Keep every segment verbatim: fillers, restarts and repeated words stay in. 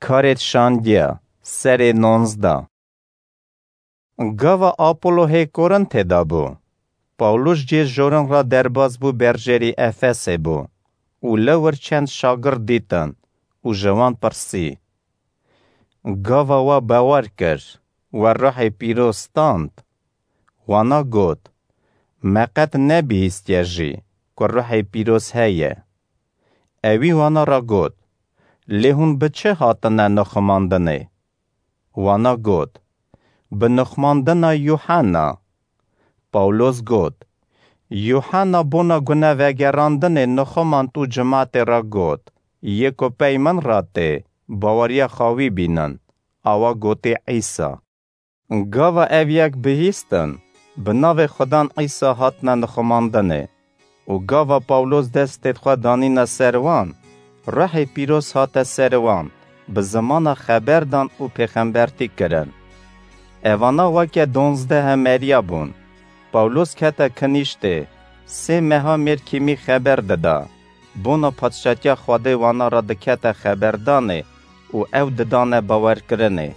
Karêt Şandiya, serê nonzdeh. Gava Apollo hê Korintê de bû. Pawlos cê jorin re derbas bû, berjêrî Efesê bû û li wir çend şagird dîtin û ji wan pirsî. Gava we bawer kir, we Ruhê Pîroz stand? Wana got, me qet nebihîstiye jî ku Ruhê Pîroz heye. Ewî wana re got, lê hûn bi çi hatine nixumandinê? Wana got, bi nixumandina Yuhanna. Pawlos got, Yuhanna bona gunevegerandinê nixumand û cimatê re got, yê ku pey min re tê, baweriya xwe wî bînin, awa gotê Îsa. Gava ev yek bihîstin, bi navê Xudan Îsa hatine nixumandinê û gava Pawlos destê xwe danîne ser wan, Ruhê Pîroz hate ser wan, bi zimana xeber dan û pêxembertî kirin. Evana weke donzdeh hemeriya bûn. Pawlos kete kinîştê, sê meha mêrkîmî xeber dida. Bona Padşatiya Xwedê wana re dikete xeberdanê û ew didane bawerkirinê.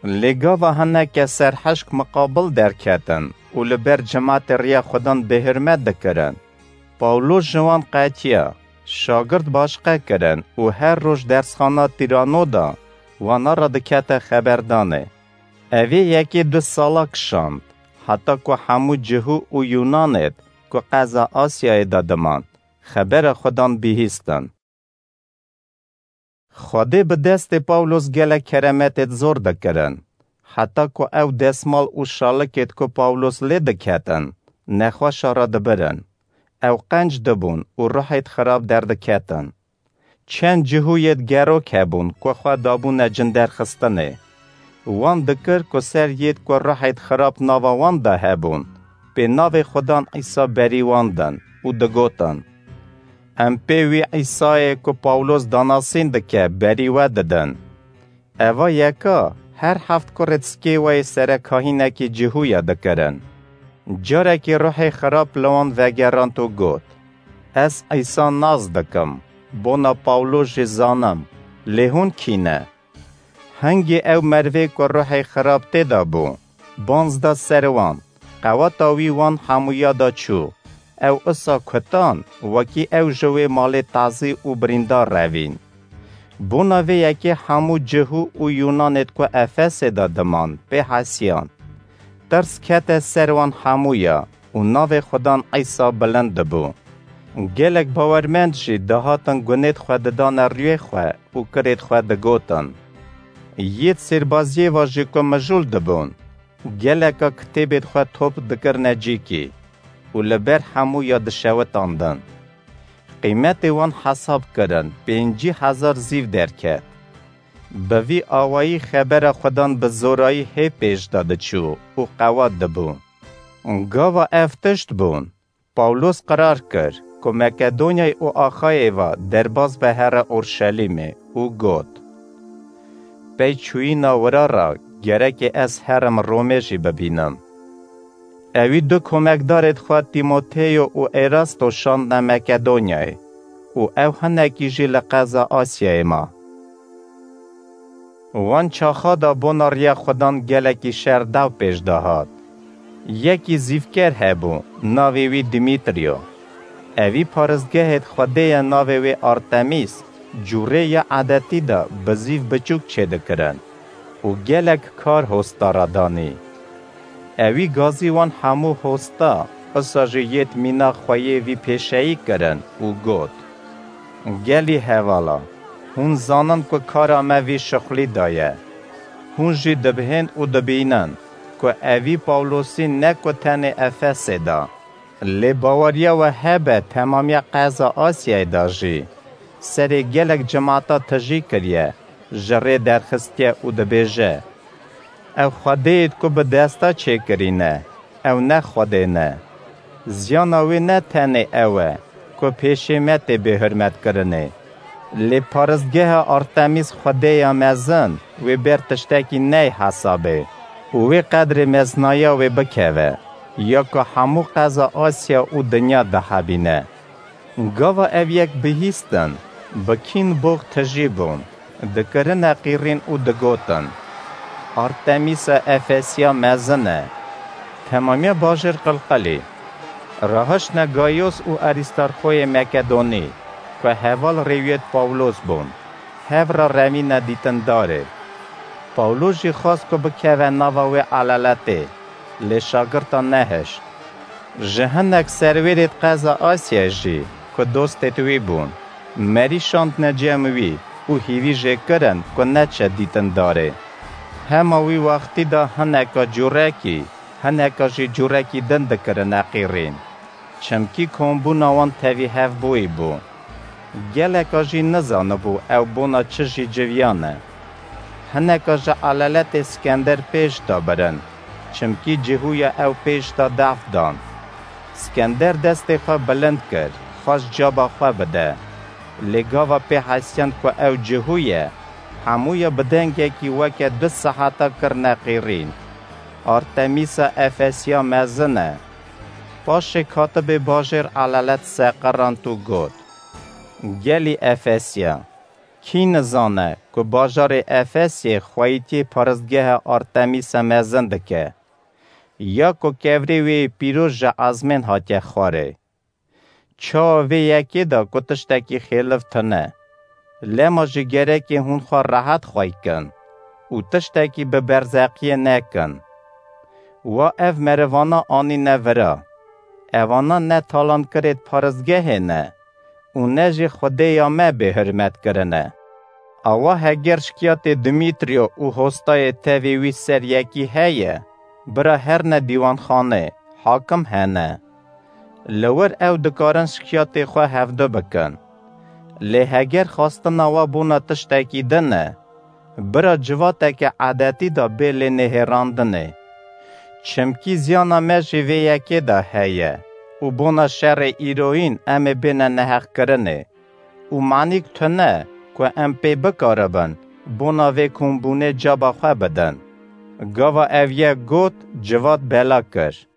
Lê gava hineke serhişk miqabil derketin û li ber cimatê riya Xudan bêhurmet dikirin. Pawlos ji wan qetiya, şagird başqe kirin û her roj dersxana Tirano de wana re dikete xeberdanê. Evê yekê du sala kişand, heta ku hemû Cihû û Yûnanêd ku qeza Asyayê de diman, xebera Xudan bihîstin. Xwedê bi destê Pawlos gelek keremetêd zor dikirin, heta ku ew desmal û şalikêd ku Pawlos lê diketin, nexweşa re dibirin. Ew qenc dibûn û ruhêd xirab derdiketin. Çend Cihûyêd gerok hebûn ku xwe dabûne cinderxistinê. Wan dikir ku ser yêd ku ruhêd xirab nava wan de hebûn, pê navê Xudan Îsa berî wan din û digotin, em pê wî Îsayê ku Pawlos danasîn dike berî we didin. Eva yeka her heft kurê diskê we yê serekahînekî Cihûya dikirin. Carekî ruhê xirab li wan vegerand û got, ez Îsa nas dikim, bona Pawlos jî zanim, lê hûn kî ne? Hingê ew merivê ku ruhê xirab tê de bû, banz da ser wan, qeweta wî wan hemûya da çû. Ew isa kutan, wekî ew ji wê malê tazî û birîndar revîn. Bona vê yekê hemû Cihû û Yûnanêd ku Efesê de diman, pê hesiyan. Tirs kete ser wan hemûya û navê Xudan Îsa bilind dibû. Gelek bawermend jî dihatin gunêd xwe didane rûyê xwe û kirêd xwe digotin. Yêd sêrbaziyê ve jî ku mijûl dibûn, geleka kitêbêd xwe top dikirine cîkî û li ber hemûya dişewitandin. Qîmetê wan hesab kirin, pêncî hezar zîv derket. Bi vî awayî xebera Xudan bi zorayî hê pêş de diçû û qewat dibû. Gava ev tişt bûn, Pawlos qirar kir ku Makedonyayê û Axayê ve derbas be here Orşelîmê û got, pey çûyîna wira re gerekê ez herim Romê jî bibînim. Ewî du komekdarêd xwe Tîmoteyo û Erasto şandne Makedonyayê û ew hinekî jî li qeza Asyayê ma. Wan çaxa de bona riya Xudan gelekî şer daw pêş de hat. Yekî zîvker hebû, navê wî Dîmîtriyo. Ewî paristgehêd xwedêya navê wê Artemîs, cûrê ya edetî de bi zîv biçûk çêdikirin û gelek kar hosta re danî. Ewî gazî wan hemû hosta, isa jî yêd mîna xwe yê vî pêşeyî kirin û got, gelî hevala, hûn zanin ku kara me vî şixulî de ye. Hûn jî dibihên û dibînin ku evî Pawlosî ne ku tenê Efesê de, lê baweriya we hebe temamiya qeza Asyayê de jî serê gelek cimata tijî kiriye, ji rê derxistiye û dibêje, ew xwedêyêd ku bi desta çêkirî ne, ew ne Xwedê ne. Ziyana wê ne tenê ew e ku pêşê me tê bêhurmetkirinê. Lê paristgeha Artemîs xwedêya mezin wê ber tiştekî ney hesabê û wê qedrê mezinaya wê bikeve, ya ku hemû qeza Asya û dinya dihebîne. Gava ev yek bihîstin, bi kîn box tijî bûn. Dikirine qîrîn û digotin, Artemîsa Efesiya mezin e. Temamiya bajêr qilqilî. Rahiştine Gayos û Arîstarxoyê Mekedonî, ku heval rêwiyêt Pawlos bûn, hev re revîne dîtindarê. Pawlos jî xwest ku bikeve nava wê eleletê, lê şagirta nehişt. Ji hinek serwêrêt qeza Asyayê jî, ku dostêt wî bûn, merî şandine cem wî û hîvî jê kirin ku neçe dîtindarê. Hema wî wextî de hineka cûrekî, hineka jî cûrekî din dikirine qîrîn. Çimkî kombûna wan tevî hevbûyî bû. Geleka jî nizanibû ew bona çi jî civiyane. Hineka ji eleletê Skender pêş de birin, çimkî cihûya ew pêş de def dan. Skender destê xwe bilind kir, xwest caba xwe bide. Lê gava pê hesiyand ku ew cihû ye, hemûya bi dengekî weke du seheta kirine qîrîn. Artemîsa Efesiya mezin e. Paşê katibê bajêr elelet seqirand û got, Gelî Efesiya, kî nizane ku bajarê Efesiyê xweyîtiyê paristgeha Artemîsa mezin dike? Ya ku kevirê wê yê pîroz ji ezmên hatiye xwarê? Çawa vê yekê de ku tiştekî xêliv tune? Lema jî gerekê hûn xwe rehet xwey kin û tiştekî bi berzeqiyê nekin. Wa ev merivana anîne vira. Evana ne talankirêt paristgehê ne û ne jî Xwedêya me bêhurmet kirine. Awa heger şikiyatê Dimîtriyo û hostayê tevê wî ser yekî heye, bira herne dîwanxanê, hakim hene. Li wir ew dikarin şikiyatê xwe hevdu bikin. Lê heger xwestina we bona tiştekî din e, bira civateke edetî de bê lê nihêrandinê. Çimkî ziyana me jî vê yekê de heye û bona şerê îroyîn em ê bêne neheqkirinê û manîk tune ku em pê bikaribin bona vê kombûnê caba xwe bidin. Gava ev yek got, civat bela kir.